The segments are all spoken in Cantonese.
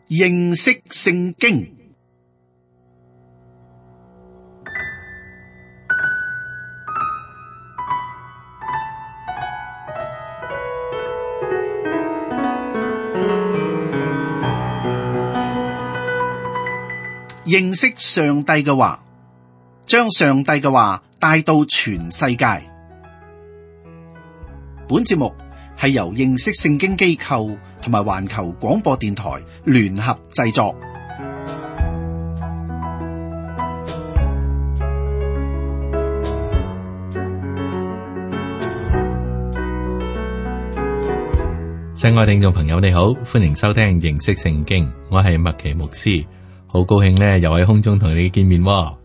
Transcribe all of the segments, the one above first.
認識聖經。認識上帝嘅話，將上帝嘅話帶到全世界。本節目係由認識聖經機構同埋環球廣播電台聯合製作。親愛聽眾朋友，你好，歡迎收聽認識聖經，我係麥奇牧師。好高興咧，又喺空中同你見面喎。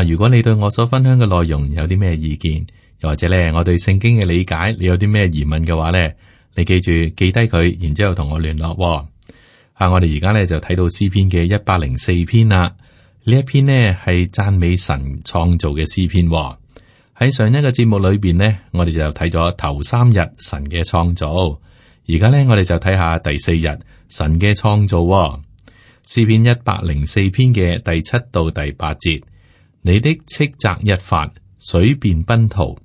如果你對我所分享嘅內容有啲咩意見，又或者咧我對聖經嘅理解，你有啲咩疑問嘅話咧，你記住記低佢，然之後同我聯絡喎。我哋而家咧就睇到詩篇嘅104篇啦。呢一篇呢係讚美神創造嘅詩篇喎。喺上一個節目裏邊呢，我哋就睇咗頭3日神嘅創造，而家咧我哋就睇下第4日神嘅創造喎。詩篇104篇嘅第7到第8節，你的斥責一發，水便奔逃；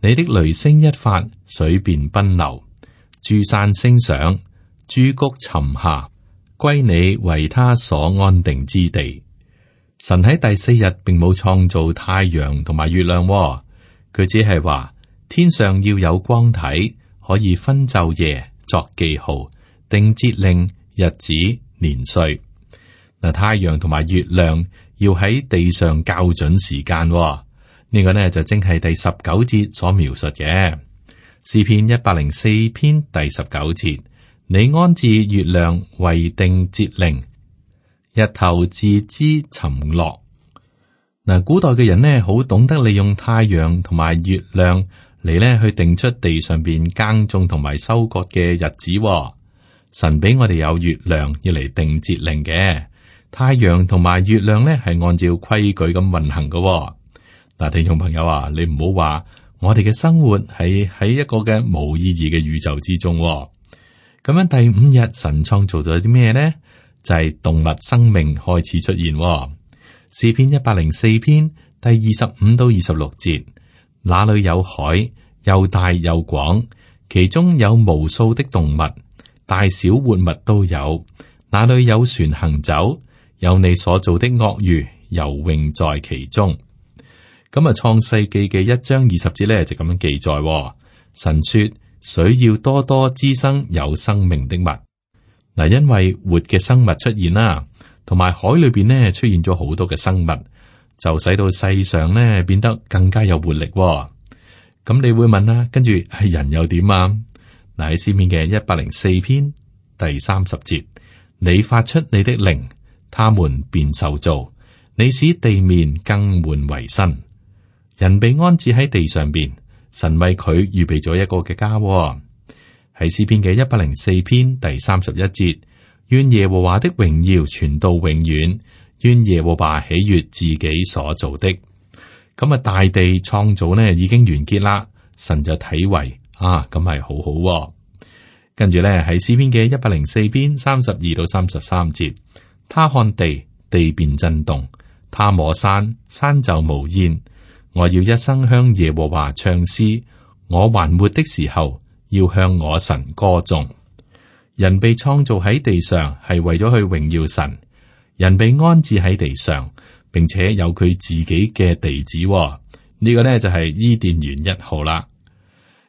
你的雷聲一發，水便奔流。諸山升上，諸谷沉下，歸你為他所安定之地。神喺第4日並冇創造太陽同埋月亮喎，佢只係話天上要有光體，可以分晝夜，作記號，定節令、日子、年歲。太陽同埋月亮要喺地上校準時間，呢個呢就正係第19節所描述嘅。詩篇104篇第19節，你安置月亮為定節令，日頭自知沉落。古代嘅人呢好懂得利用太陽同埋月亮嚟呢去定出地上邊耕種同埋收割嘅日子。神俾我哋有月亮要嚟定節令嘅。太陽同埋月亮咧係按照規矩咁運行嘅。嗱，聽眾朋友啊，你唔好話我哋嘅生活係喺一個嘅冇意義嘅宇宙之中。咁樣第5日神創造咗啲咩呢？就係動物生命開始出現。詩篇104篇第25到26節，那裏有海，又大又廣，其中有無數的動物，大小活物都有。那裏有船行走，有你所造的鱷魚游泳在其中。咁創世記嘅1章20節咧就咁樣記載，神說水要多多滋生有生命的物。因為活嘅生物出現啦，同埋海裏邊呢出現咗好多嘅生物，就使到世上呢變得更加有活力。咁你會問啦，跟住係人又點啊？喺詩篇嘅104篇第30節，你發出你的靈，他們便受造，你使地面更換為新。人被安置喺地上邊，神為佢預備咗一個嘅家。喺詩篇嘅104篇第31節，願耶和華的榮耀傳到永遠，願耶和華喜悅自己所做的。咁大地創造呢已經完結啦，神就睇為咁係好好。跟住咧喺詩篇嘅104篇32到33節。他看地，地便震動；他摸山，山就冒煙。我要一生向耶和華唱詩，我還活的時候，要向我神歌頌。人被創造喺地上，係為咗去榮耀神。人被安置喺地上，並且有佢自己嘅地址。呢個呢就係伊甸園1號啦。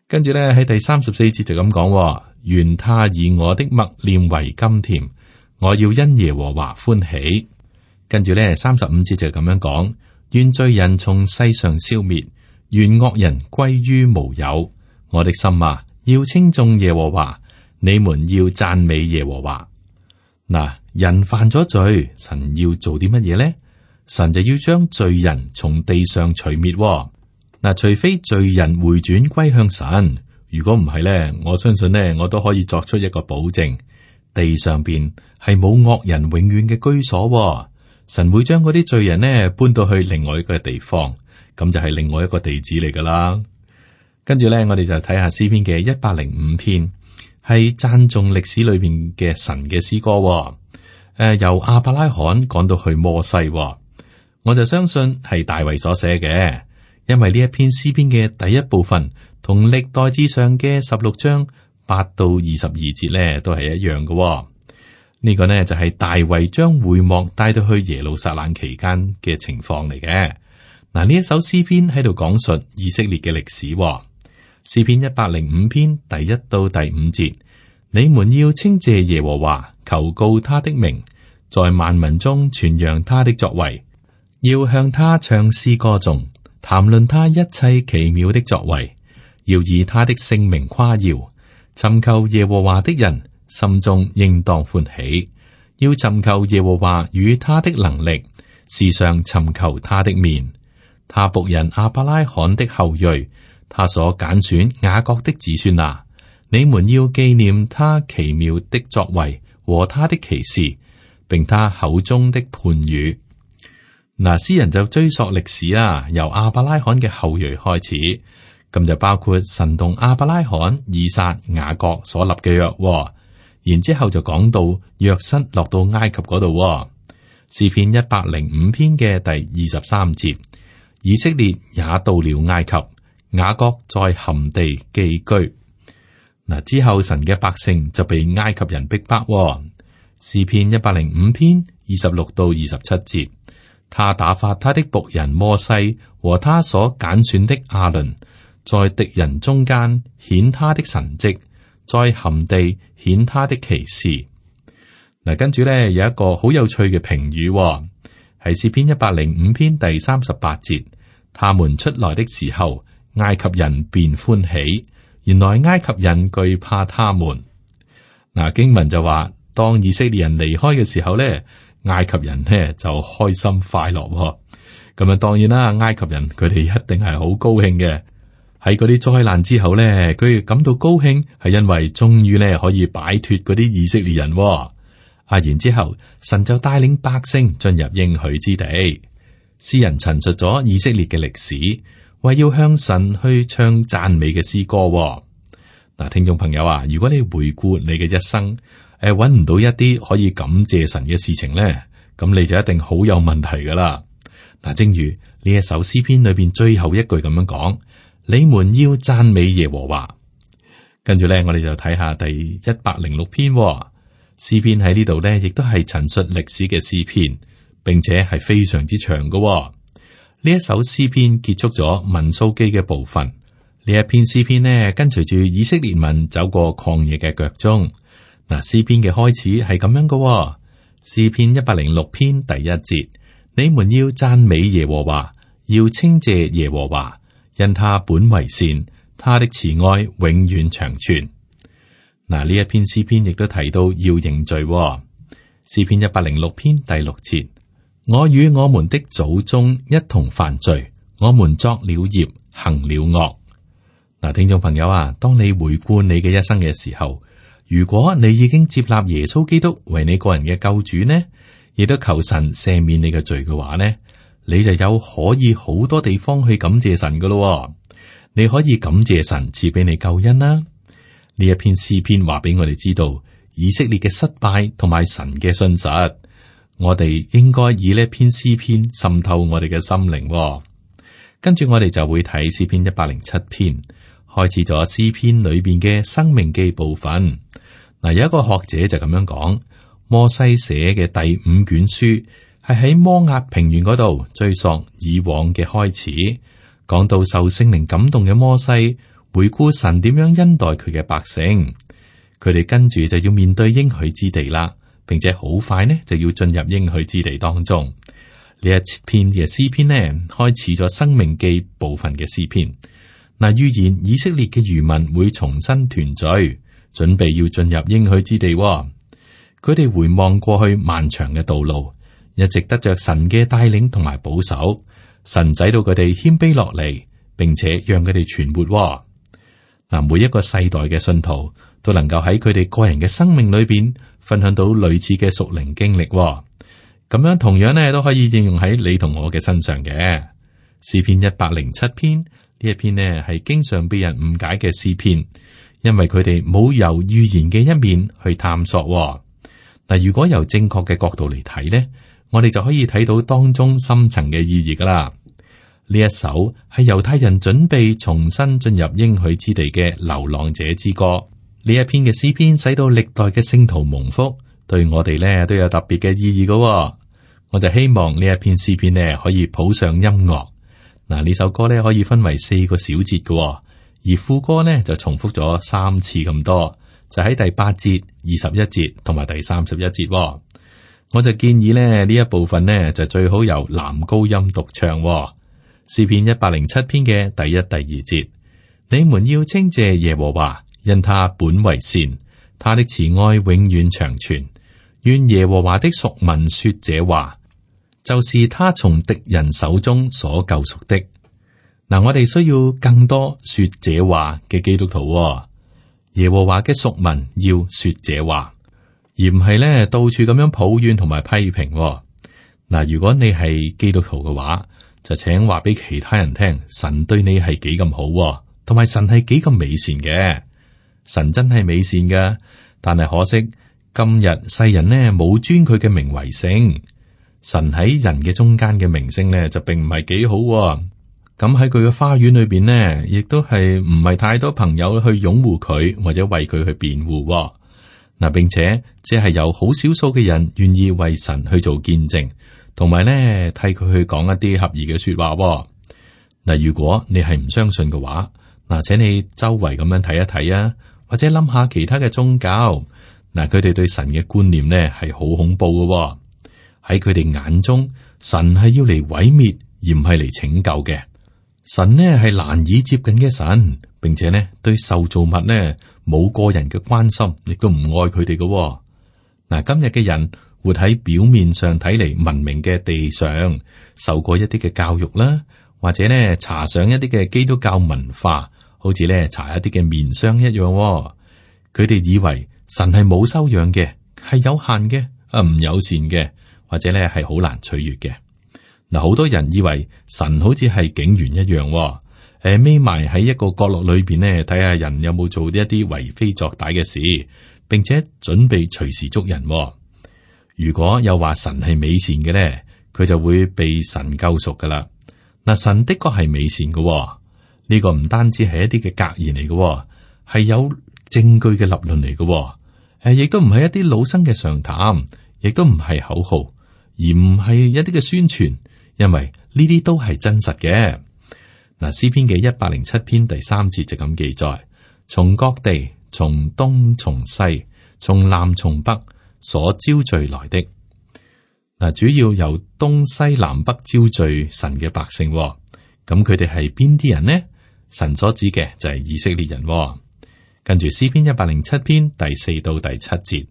跟住咧喺第34節就咁講：願他以我的默念為甘甜。我要因耶和華歡喜。跟住咧35節就咁樣講：願罪人從世上消滅，願惡人歸於無有。我的心啊，要稱頌耶和華，你們要讚美耶和華。人犯咗罪，神要做啲乜嘢呢？神就要將罪人從地上除滅。除非罪人回轉歸向神，如果唔係咧，我相信呢，我都可以作出一個保證。地上邊係冇惡人永遠嘅居所，神會將嗰啲罪人呢搬到去另外一個地方，咁就係另外一個地址嚟噶啦。跟住咧，我哋就睇下詩篇嘅105篇，係讚頌歷史裏邊嘅神嘅詩歌。由亞伯拉罕講到去摩西，我就相信係大衛所寫嘅，因為呢一篇詩篇嘅第一部分同歷代志上嘅16章8到22節咧都係一樣嘅。呢個呢就係大衛將會幕帶到去耶路撒冷期間嘅情況嚟嘅。嗱，呢一首詩篇喺度講述以色列嘅歷史。詩篇105篇第1到第5節，你們要稱謝耶和華，求告他的名，在萬民中傳揚他的作為，要向他唱詩歌頌，談論他一切奇妙的作為，要以他的聖名誇耀。尋求耶和華的人，心中應當歡喜，要尋求耶和華與他的能力，時常尋求他的面。他僕人亞伯拉罕的後裔，他所揀選雅各的子孫啊，你們要紀念他奇妙的作為和他的奇事，並他口中的判語。嗱，詩人就追溯歷史啦，由亞伯拉罕嘅後裔開始，咁就包括神同亞伯拉罕、以撒、雅各所立嘅約，然之後就講到約瑟落到埃及嗰度。詩篇105篇嘅第23節，以色列也到了埃及，雅各在含地寄居。嗱，之後神嘅百姓就被埃及人逼迫。詩篇105篇26到27節，他打發他的僕人摩西和他所揀選的亞倫，在敵人中間顯他的神蹟，在含地顯他的奇事。嗱，跟住咧有一個好有趣嘅評語，係詩篇105篇第38節，他們出來的時候，埃及人便歡喜，原來埃及人懼怕他們。嗱，經文就話，當以色列人離開嘅時候咧，埃及人呢就開心快樂。咁啊，當然啦，埃及人佢哋一定係好高興嘅。喺嗰啲災難之後咧，佢哋感到高興，係因為終於咧可以擺脫嗰啲以色列人。然之後神就帶領百姓進入應許之地。詩人陳述咗以色列嘅歷史，為要向神去唱讚美嘅詩歌。嗱，聽眾朋友啊，如果你回顧你嘅一生，搵唔到一啲可以感謝神嘅事情咧，咁你就一定好有問題噶啦。嗱，正如呢一首詩篇裏邊最後一句咁樣講，你們要讚美耶和華。跟住咧，我哋就睇下第106篇詩篇，喺呢度咧，亦都係陳述歷史嘅詩篇，並且係非常之長嘅。呢一首詩篇結束咗民數記嘅部分。呢一篇詩篇呢，跟隨住以色列民走過曠野嘅腳蹤。嗱，詩篇嘅開始係咁樣嘅。詩篇106篇第1節，你們要讚美耶和華，要稱謝耶和華，因他本為善，他的慈愛永遠長存。嗱，呢一篇詩篇亦都提到要認罪。詩篇106篇第6節，我與我們的祖宗一同犯罪，我們作了孽，行了惡。嗱，聽眾朋友啊，當你回顧你嘅一生嘅時候，如果你已經接納耶穌基督為你個人嘅救主呢，亦都求神赦免你嘅罪嘅話呢，你就有可以好多地方去感謝神噶咯。你可以感謝神賜俾你救恩啦。呢一篇詩篇話俾我哋知道以色列嘅失敗同埋神嘅信實，我哋應該以呢篇詩篇滲透我哋嘅心靈。跟住我哋就會睇詩篇107篇，開始咗詩篇裏邊嘅生命記部分。嗱，有一個學者就咁樣講，摩西寫嘅第5卷書係喺摩押平原嗰度追溯以往嘅開始，講到受聖靈感動嘅摩西回顧神點樣恩待佢嘅百姓，佢哋跟住就要面對應許之地啦，並且好快呢就要進入應許之地當中。呢一篇嘅詩篇呢，開始咗生命記部分嘅詩篇。嗱，預言以色列嘅餘民會重新團聚，準備要進入應許之地。佢哋回望過去漫長嘅道路，一直得着神嘅帶領同埋保守，神使到佢哋謙卑落嚟，並且讓佢哋存活。嗱，每一個世代嘅信徒都能夠喺佢哋個人嘅生命裏邊分享到類似嘅屬靈經歷，咁樣同樣呢都可以應用喺你同我嘅身上嘅。詩篇107篇呢一篇呢係經常被人誤解嘅詩篇，因為佢哋冇由預言嘅一面去探索。嗱，如果由正確嘅角度嚟睇呢，我哋就可以睇到當中深層嘅意義噶啦。呢一首係猶太人準備重新進入應許之地嘅流浪者之歌。呢一篇嘅詩篇使到歷代嘅聖徒蒙福，對我哋呢都有特別嘅意義噶。我就希望呢一篇詩篇呢可以譜上音樂。嗱，呢首歌呢可以分為4個小節嘅，而副歌呢就重複咗3次咁多，就喺第8節、21節同埋第31節。我就建議呢一部分呢就最好由男高音獨唱。詩篇107篇嘅第1、第2節，你們要稱謝耶和華，因他本為善，他的慈愛永遠長存。願耶和華的屬民說這話，就是他從敵人手中所救贖的。嗱，我哋需要更多說這話嘅基督徒。耶和華嘅屬民要說這話，而唔係咧到處咁樣抱怨同埋批評。嗱，如果你係基督徒嘅話，就請話俾其他人聽，神對你係幾咁好，同埋神係幾咁美善嘅。神真係美善嘅，但係可惜今日世人呢冇尊佢嘅名為聖。神喺人嘅中間嘅名聲呢就並唔係幾好。咁喺佢嘅花園裏邊呢，亦都係唔係太多朋友去擁護佢或者為佢去辯護。嗱，並且只係有好少數嘅人願意為神去做見證。同埋咧，替佢去講一啲合宜嘅說話。嗱，如果你係唔相信嘅話，嗱，請你周圍咁樣睇一睇啊，或者諗下其他嘅宗教。嗱，佢哋對神嘅觀念呢係好恐怖嘅。喺佢哋眼中，神係要嚟毀滅，而唔係嚟拯救嘅。神呢係難以接近嘅神，並且呢對受造物呢冇個人嘅關心，亦都唔愛佢哋嘅。嗱，今日嘅人活喺表面上睇嚟文明嘅地上，受過一啲嘅教育啦，或者呢查上一啲嘅基督教文化，好似呢查一啲嘅面霜一樣。佢哋以為神係冇修養嘅，係有限嘅，唔友善嘅，或者呢係好難取悦嘅。嗱，好多人以為神好似係警員一樣，匿埋喺一個角落裏邊呢，睇下人有冇做一啲為非作歹嘅事，並且準備隨時捉人。如果又話神係美善嘅咧，佢就會被神救贖噶啦。嗱，神的確係美善嘅，呢個唔單止係一啲嘅格言嚟嘅，係有證據嘅立論嚟嘅。亦都唔係一啲老生嘅常談，亦都唔係口號，而唔係一啲嘅宣傳，因為呢啲都係真實嘅。嗱，詩篇嘅107篇第3節就咁記載：從各地，從東從西，從南從北，所招聚來的。嗱，主要由東西南北招聚神嘅百姓，咁佢哋係邊啲人呢？神所指嘅就係以色列人。跟住詩篇107篇第4到第7節，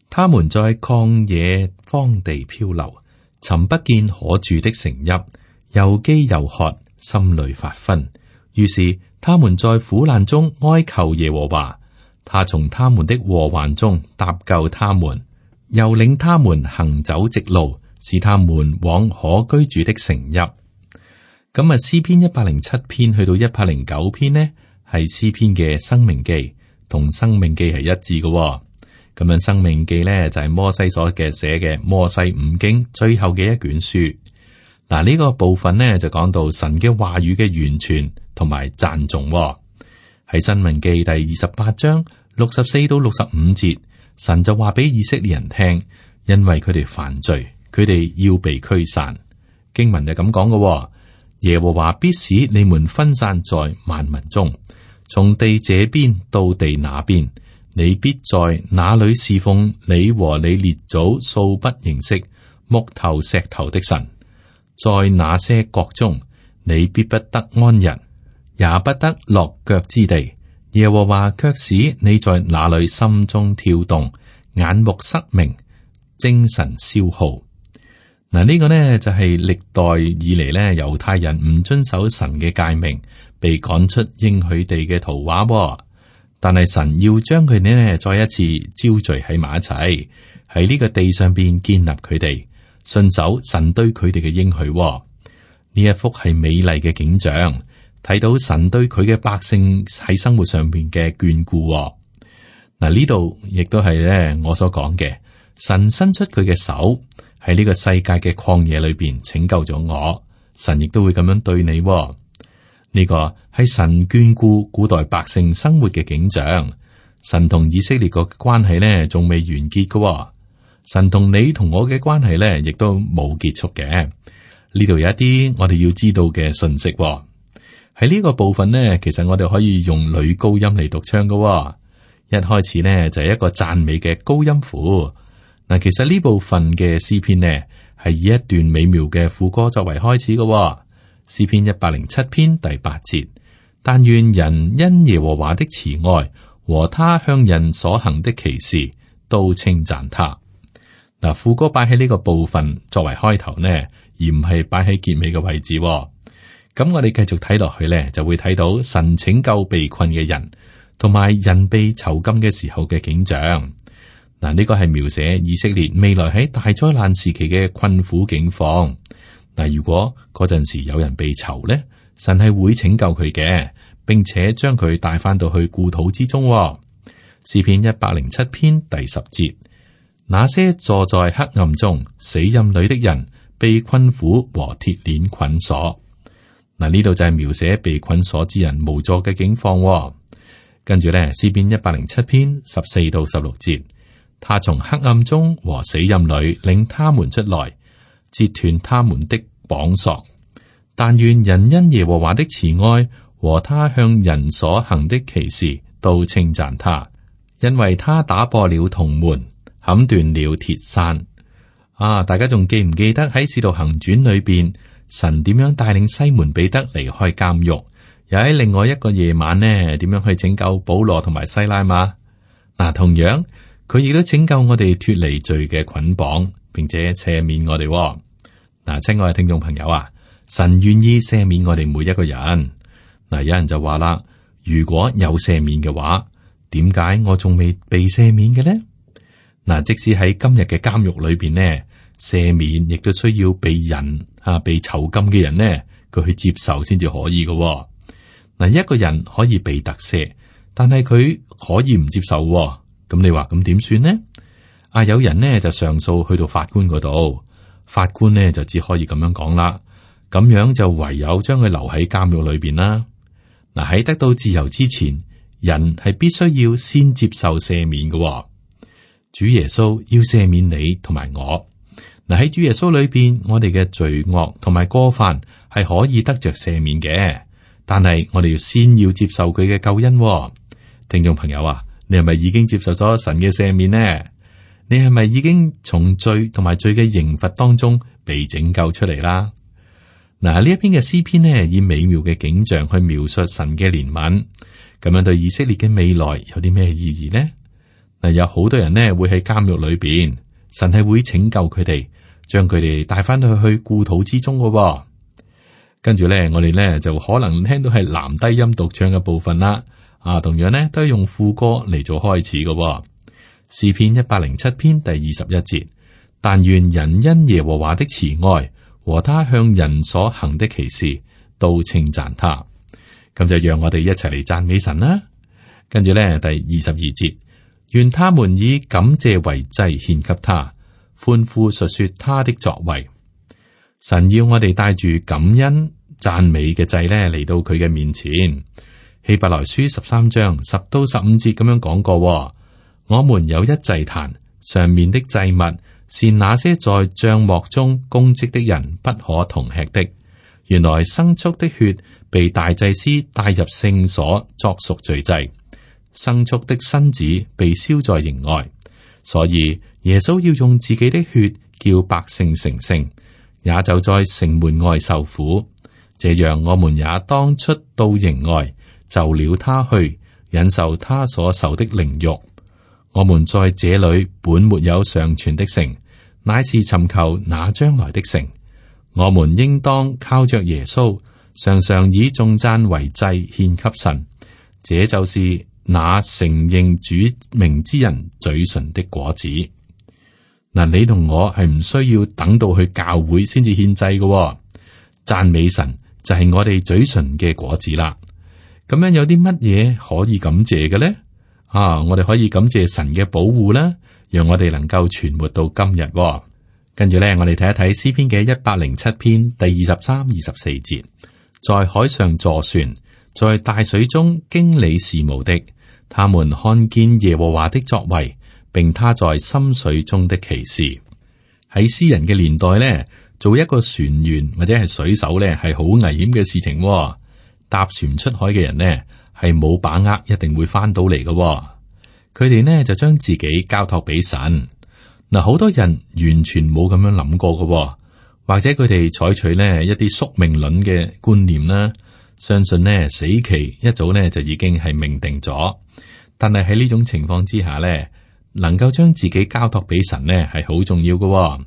他們在曠野荒地漂流，尋不見可住的城邑，又飢又渴，心裏發昏。於是他們在苦難中哀求耶和華，他從他們的禍患中搭救他們，又領他們行走直路，使他們往可居住的城邑。咁啊，詩篇107篇去到109篇呢，係詩篇嘅申命記，同申命記係一致嘅。咁樣申命記呢，就係摩西所寫嘅摩西五經最後嘅一卷書。嗱，呢個部分呢，就講到神嘅話語嘅完全同埋讚頌。喺申命記第28章64到65節，神就話俾以色列人聽，因為佢哋犯罪，佢哋要被驅散。經文就咁講嘅，耶和華必使你們分散在萬民中，從地這邊到地那邊，你必在那裏侍奉你和你列祖素不認識木頭石頭的神。在那些國中，你必不得安逸，也不得落腳之地。耶和華卻使你在那裏心中跳動，眼目失明，精神消耗。嗱，呢個呢就係歷代以嚟呢猶太人唔遵守神嘅誡命，被趕出應許地嘅圖畫。但係神要將佢哋呢再一次招聚喺埋一齊，喺呢個地上邊建立佢哋，信守神對佢哋嘅應許。呢一幅係美麗嘅景象，睇到神對佢嘅百姓喺生活上邊嘅眷顧。嗱，呢度亦都係咧我所講嘅，神伸出佢嘅手喺呢個世界嘅曠野裏邊拯救咗我，神亦都會咁樣對你。呢個係神眷顧古代百姓生活嘅景象。神同以色列個關係呢，仲未完結嘅。神同你同我嘅關係呢，亦都冇結束嘅。呢度有一啲我哋要知道嘅信息。喺呢個部分呢，其實我哋可以用女高音嚟獨唱嘅。一開始呢，就係一個讚美嘅高音符。嗱，其實呢部分嘅詩篇呢，係以一段美妙嘅副歌作為開始嘅。詩篇107篇第8節，但願人因耶和華的慈愛和他向人所行的奇事都稱讚他。嗱，副歌擺喺呢個部分作為開頭呢，而唔係擺喺結尾嘅位置。咁我哋繼續睇落去呢，就會睇到神拯救被困嘅人，同埋人被囚禁嘅時候嘅景象。嗱，呢個係描寫以色列未來喺大災難時期嘅困苦境況。嗱，如果嗰陣時有人被囚呢，神係會拯救佢嘅，並且將佢帶翻到去故土之中。詩篇107篇第10節，那些坐在黑暗中死蔭裏的人，被困苦和鐵鏈捆鎖。嗱，呢度就係描寫被捆鎖之人無助嘅境況。跟住咧，詩篇107篇14到16節，他從黑暗中和死蔭裏領他們出來，截斷他們的綁索。但願人因耶和華的慈愛和他向人所行的奇事都稱讚他，因為他打破了銅門，砍斷了鐵山。大家仲記唔記得喺使徒行傳裏邊，神點樣帶領西門彼得離開監獄，又喺另外一個夜晚呢，點樣去拯救保羅同埋西拉嘛？同樣佢亦都拯救我哋脫離罪嘅捆綁，並且赦免我哋。親愛嘅聽眾朋友啊，神願意赦免我哋每一個人。有人就話啦，如果有赦免嘅話，點解我仲未被赦免嘅呢？即使喺今日嘅監獄裏邊呢，赦免亦都需要被人被囚禁嘅人呢，佢去接受先至可以嘅。一個人可以被特赦，但係佢可以唔接受。咁你話咁點算呢？有人呢就上訴去到法官嗰度，法官呢就只可以咁樣講啦。咁樣就唯有將佢留喺監獄裏邊啦。喺得到自由之前，人係必須要先接受赦免嘅。主耶穌要赦免你同埋我。喺主耶穌裏邊，我哋嘅罪惡同埋過犯係可以得着赦免嘅，但係我哋要先要接受佢嘅救恩。聽眾朋友啊，你係咪已經接受咗神嘅赦免呢？你係咪已經從罪同埋罪嘅刑罰當中被拯救出嚟啦？呢一篇嘅詩篇呢，以美妙嘅景象去描述神嘅憐憫，咁樣對以色列嘅未來有啲咩意義呢？有好多人呢會喺監獄裏邊，神係會拯救佢哋，將佢哋帶翻去故土之中嘅。跟住呢，我哋呢就可能聽到係男低音獨唱嘅部分啦。同樣呢都係用副歌嚟做開始嘅。詩篇107篇第21節，但願人因耶和華的慈愛和他向人所行的奇事都稱讚他。咁就讓我哋一齊嚟讚美神啦。跟住呢，第22節，願他們以感謝為祭獻給他，歡呼述說他的作為。神要我哋帶住感恩讚美嘅祭呢嚟到佢嘅面前。希伯來書13章10到15節咁樣講過，我們有一祭壇，上面的祭物是那些在帳幕中供職的人不可同吃的。原來牲畜的血被大祭司帶入聖所作贖罪祭，牲畜的身子被燒在營外，所以耶穌要用自己的血叫百姓成聖，也就在城門外受苦。這樣我們也當出到營外，就了他去，忍受他所受的凌辱。我們在這裏本沒有尚存的城，乃是尋求那將來的城。我們應當靠着耶穌，常常以頌讚為祭獻給神。這就是那承認主名之人嘴唇的果子。你同我係唔需要等到去教會先至獻祭嘅，讚美神就係我哋嘴唇嘅果子啦。咁樣有啲乜嘢可以感謝嘅咧？我哋可以感謝神嘅保護啦，讓我哋能夠存活到今日。跟住咧，我哋睇一睇詩篇嘅107篇第23、24節，在海上坐船，在大水中經理事務的，他們看見耶和華的作為，並他在深水中的奇事。喺詩人嘅年代咧，做一個船員或者係水手咧，係好危險嘅事情。搭船出海嘅人呢，係冇把握一定會翻到嚟嘅。佢哋呢就將自己交託俾神。嗱，好多人完全冇咁樣諗過嘅，或者佢哋採取呢一啲宿命論嘅觀念啦，相信呢死期一早呢就已經係命定咗。但係喺呢種情況之下呢，能夠將自己交託俾神呢係好重要嘅。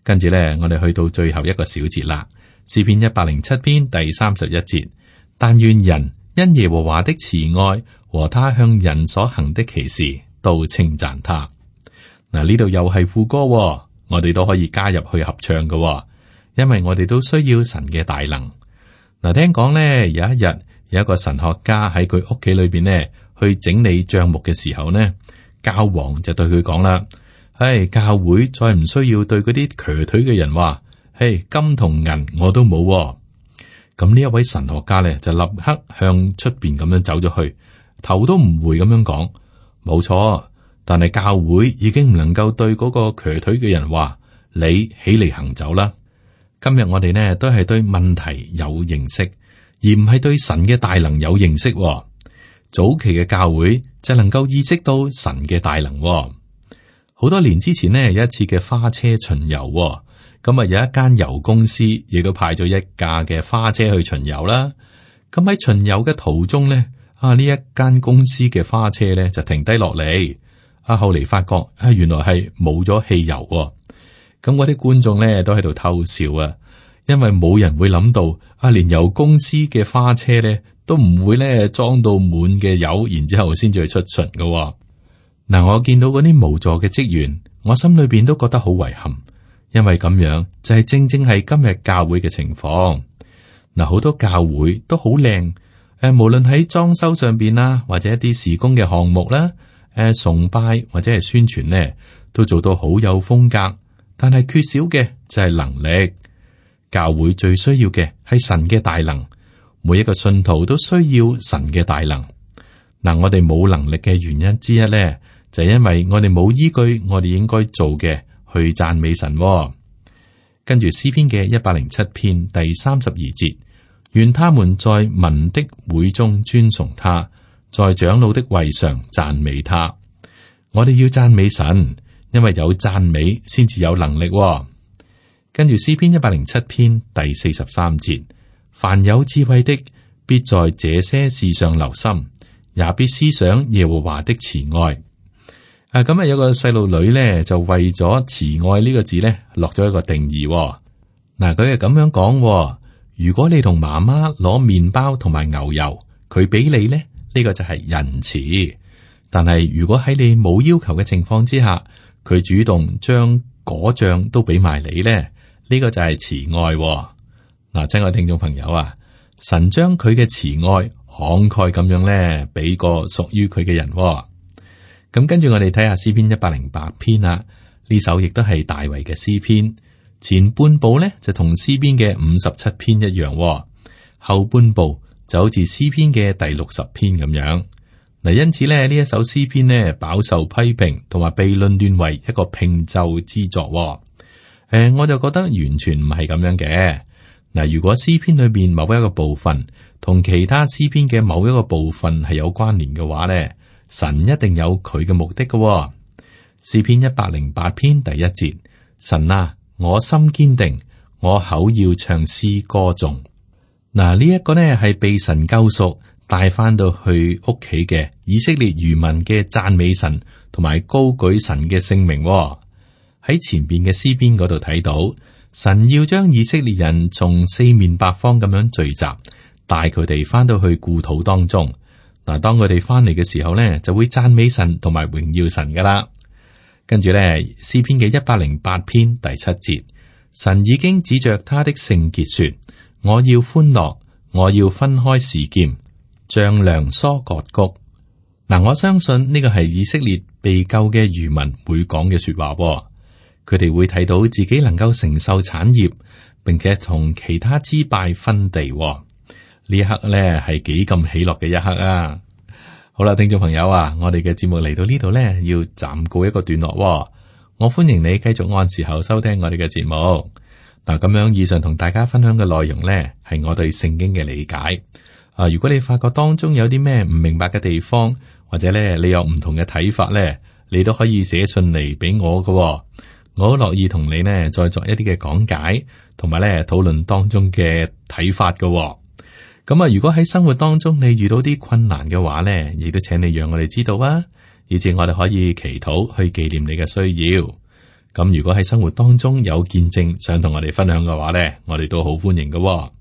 跟住呢，我哋去到最後一個小節啦，詩篇107篇第31節，但願人因耶和華的慈愛和他向人所行的奇事，都稱讚他。嗱，呢度又係副歌，我哋都可以加入去合唱嘅，因為我哋都需要神嘅大能。嗱，聽講咧，有一日有一個神學家喺佢屋企裏邊呢去整理賬目嘅時候呢，教皇就對佢講啦：唉，教會再唔需要對嗰啲瘸腿嘅人話，嘿，金同銀我都冇。咁呢一位神學家咧就立刻向出邊咁樣走咗去，頭都唔回咁樣講：冇錯。但係教會已經唔能夠對嗰個瘸腿嘅人話，你起嚟行走啦。今日我哋呢都係對問題有認識，而唔係對神嘅大能有認識。早期嘅教會就能夠意識到神嘅大能。好多年之前呢，有一次嘅花車巡遊，咁啊有一間油公司亦都派咗一架嘅花車去巡遊啦。咁喺巡遊嘅途中呢，呢一間公司嘅花車呢就停低落嚟。後嚟發覺原來係冇咗汽油。咁嗰啲觀眾咧都喺度偷笑啊，因為冇人會諗到連油公司嘅花車咧都唔會咧裝到滿嘅油，然之後先至去出巡㗎。嗱，我見到嗰啲無助嘅職員，我心裏邊都覺得好遺憾，因為咁樣就係正正係今日教會嘅情況。嗱，好多教會都好靚，無論喺裝修上邊啦，或者一啲事工嘅項目啦。崇拜或者係宣傳呢，都做到好有風格，但係缺少嘅就係能力。教會最需要嘅係神嘅大能，每一個信徒都需要神嘅大能。嗱，我哋冇能力嘅原因之一呢，就係因為我哋冇依據我哋應該做嘅去讚美神。跟住詩篇嘅107篇第32節，願他們在民的會中尊崇他，在長老的位上讚美他。我哋要讚美神，因為有讚美先至有能力。跟住詩篇107篇第43節，凡有智慧的，必在這些事上留心，也必思想耶和華的慈愛。咁有個細路女咧，就為咗慈愛呢個字咧，落咗一個定義。嗱，佢係咁樣講：如果你同媽媽攞麵包同埋牛油，佢俾你咧。呢個就係仁慈，但係如果喺你冇要求嘅情況之下，佢主動將果醬都俾埋你咧，呢個就係慈愛。嗱，親愛聽眾朋友啊，神將佢嘅慈愛慷慨咁樣咧，俾個屬於佢嘅人。咁跟住我哋睇下詩篇108篇啦，呢首亦都係大衛嘅詩篇，前半部咧就同詩篇嘅57篇一樣，後半部就好似詩篇嘅第60篇咁樣。嗱，因此咧呢一首詩篇呢，飽受批評，同埋被論斷為一個拼奏之作。我就覺得完全唔係咁樣嘅。嗱，如果詩篇裏面某一個部分同其他詩篇嘅某一個部分係有關聯嘅話咧，神一定有佢嘅目的嘅。詩篇108篇第1節，神啊，我心堅定，我口要唱詩歌頌。嗱，呢一個呢係被神救贖帶翻到去屋企嘅以色列餘民嘅讚美神同埋高舉神嘅聖名。喺前邊嘅詩篇嗰度睇到，神要將以色列人從四面八方咁樣聚集，帶佢哋翻到去故土當中。嗱，當佢哋翻嚟嘅時候呢，就會讚美神同埋榮耀神噶啦。跟住呢，詩篇嘅108篇第7節，神已經指着他的聖潔說，我要歡樂，我要分開示劍，像量疏割谷。嗱，我相信呢個係以色列被救嘅漁民會講嘅說話。佢哋會睇到自己能夠承受產業，並且同其他支派分地。呢一刻咧係幾咁喜樂嘅一刻啊！好啦，聽眾朋友啊，我哋嘅節目嚟到呢度咧，要暫告一個段落。我歡迎你繼續按時候收聽我哋嘅節目。嗱，咁樣以上同大家分享嘅內容咧，係我對聖經嘅理解。如果你發覺當中有啲咩唔明白嘅地方，或者咧你有唔同嘅睇法咧，你都可以寫信嚟俾我㗎。我好樂意同你呢再作一啲嘅講解，同埋咧討論當中嘅睇法㗎。咁啊，如果喺生活當中你遇到啲困難嘅話咧，亦都請你讓我哋知道啊，以至我哋可以祈禱去紀念你嘅需要。咁如果喺生活當中有見證想同我哋分享嘅話咧，我哋都好歡迎㗎。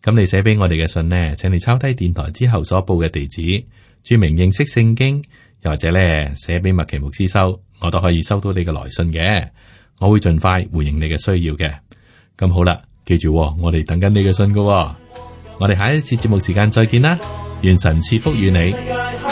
咁你寫俾我哋嘅信呢，請你抄低電台之後所報嘅地址，注明認識聖經，又或者咧寫俾麥奇牧師收，我都可以收到你嘅來信嘅。我會盡快回應你嘅需要嘅。咁好啦，記住，我哋等緊你嘅信㗎。我哋下一次節目時間再見啦，願神賜福與你。